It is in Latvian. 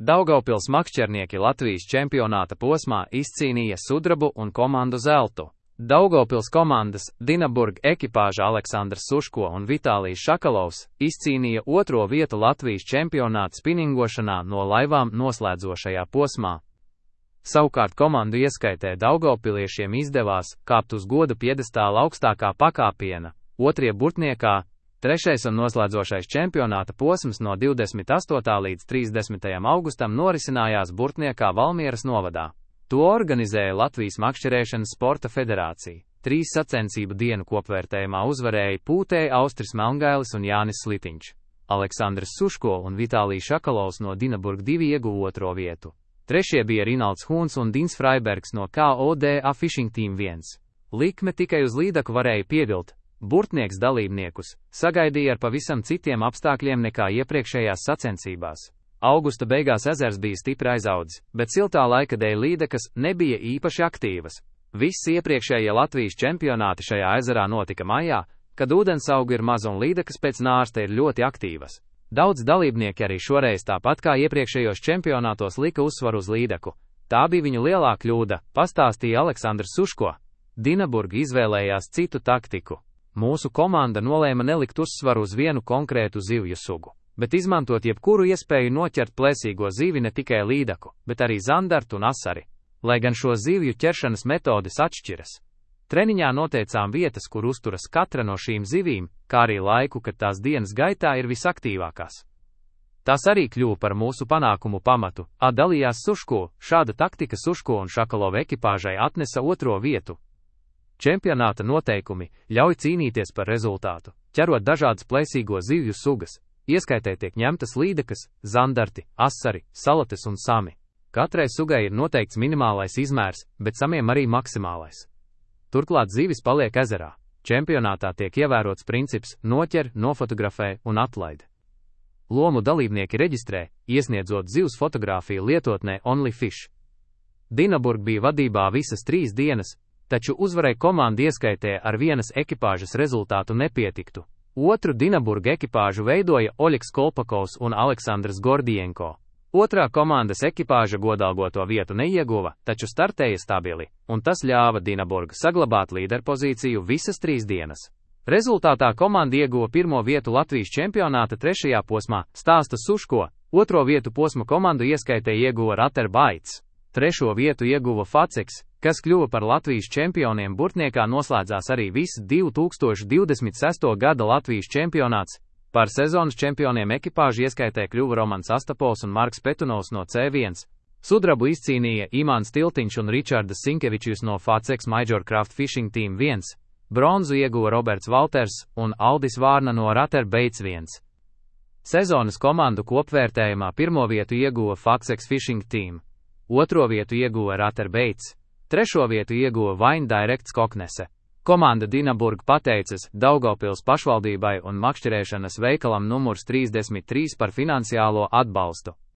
Daugavpils makšķernieki Latvijas čempionāta posmā izcīnīja sudrabu un komandu zeltu. Daugavpils komandas Dinaburg ekipāža Aleksandrs Suško un Vitālijs Šakalovs izcīnīja otro vietu Latvijas čempionāta spiningošanā no laivām noslēdzošajā posmā. Savukārt komandu ieskaitē daugavpiliešiem izdevās kāpt uz goda piedestāla augstākā pakāpiena, otrie burtniekā. Trešais un noslēdzošais čempionāta posms no 28. līdz 30. augustam norisinājās Burtniekā Valmieras novadā. To organizēja Latvijas makšķerēšanas sporta federācija. 3 sacensību dienu kopvērtējumā uzvarēja Pūtēji Austris Melngailis un Jānis Slitiņš. Aleksandrs Suško un Vitālijs Šakalovs no Dinaburg 2 ieguva otro vietu. Trešie bija Rinalds Huns un Dins Freibergs no KODA Fishing Team 1. Likme tikai uz līdaku varēja pievilt. Burtnieks dalībniekus sagaidīja ar pavisam citiem apstākļiem nekā iepriekšējās sacensībās. Augusta beigās ezers bija stipri aizaudzis, bet siltā laika dēļ līdekas nebija īpaši aktīvas. Visi iepriekšējie Latvijas čempionāti šajā ezerā notika maijā, kad ūdensauga ir maza un līdekas pēc nārsta ir ļoti aktīvas. Daudz dalībnieki arī šoreiz tāpat kā iepriekšējos čempionātos lika uzsvaru uz līdeku. Tā bija viņu lielā kļūda, pastāstīja Aleksandrs Suško. Dinaburg izvēlējās citu taktiku. Mūsu komanda nolēma nelikt uzsvaru uz vienu konkrētu zivju sugu, bet izmantot jebkuru iespēju noķert plēsīgo zivi, ne tikai līdaku, bet arī zandartu un asari, lai gan šo zivju ķeršanas metodes atšķiras. Treniņā noteicām vietas, kur uzturas katra no šīm zivīm, kā arī laiku, kad tās dienas gaitā ir visaktīvākās. Tas arī kļuva par mūsu panākumu pamatu, dalījās Suško. Šāda taktika Suško un Šakalova ekipāžai atnesa otro vietu. Čempionāta noteikumi ļauj cīnīties par rezultātu, ķerot dažādas plēsīgo zivju sugas, ieskaitē tiek ņemtas līdekas, zandarti, asari, salates un sami. Katrai sugai ir noteikts minimālais izmērs, bet samiem arī maksimālais. Turklāt zivis paliek ezerā. Čempionātā tiek ievērots princips noķer, nofotografē un atlaid. Lomu dalībnieki reģistrē, iesniedzot zivs fotogrāfiju lietotnē OnlyFish. Dinaburg bija vadībā visas 3 dienas, taču uzvarai komanda ieskaitē ar vienas ekipāžas rezultātu nepietiktu. Otru Dinaburg ekipāžu veidoja Oļegs Kolpakovs un Aleksandrs Gordienko. Otrā komandas ekipāža godalgoto vietu neieguva, taču startēja stabili, un tas ļāva Dinaburg saglabāt līderpozīciju visas 3 dienas. Rezultātā komanda ieguva pirmo vietu Latvijas čempionāta 3. posmā, stāsta Suško. Otro vietu posma komandu ieskaitē ieguva Rater Baits. 3. vietu ieguva Faceks, kas kļuva par Latvijas čempioniem. Burtniekā noslēdzās arī viss 2026. gada Latvijas čempionāts. Par sezonas čempioniem ekipāžu ieskaitē kļuva Romans Astapols un Marks Petunovs no C1. Sudrabu izcīnīja Imants Tiltiņš un Ričards Sinkevičs no Faceks Major Craft Fishing Team 1. Bronzu ieguva Roberts Valters un Aldis Vārna no Rater Baits 1. Sezonas komandu kopvērtējumā pirmo vietu ieguva Faceks Fishing Team. Otro vietu ieguva Rater Baits. Trešo vietu ieguva Vine Directs Koknese. Komanda Dinaburg pateicas Daugavpils pašvaldībai un makšķerēšanas veikalam numurs 33 par finansiālo atbalstu.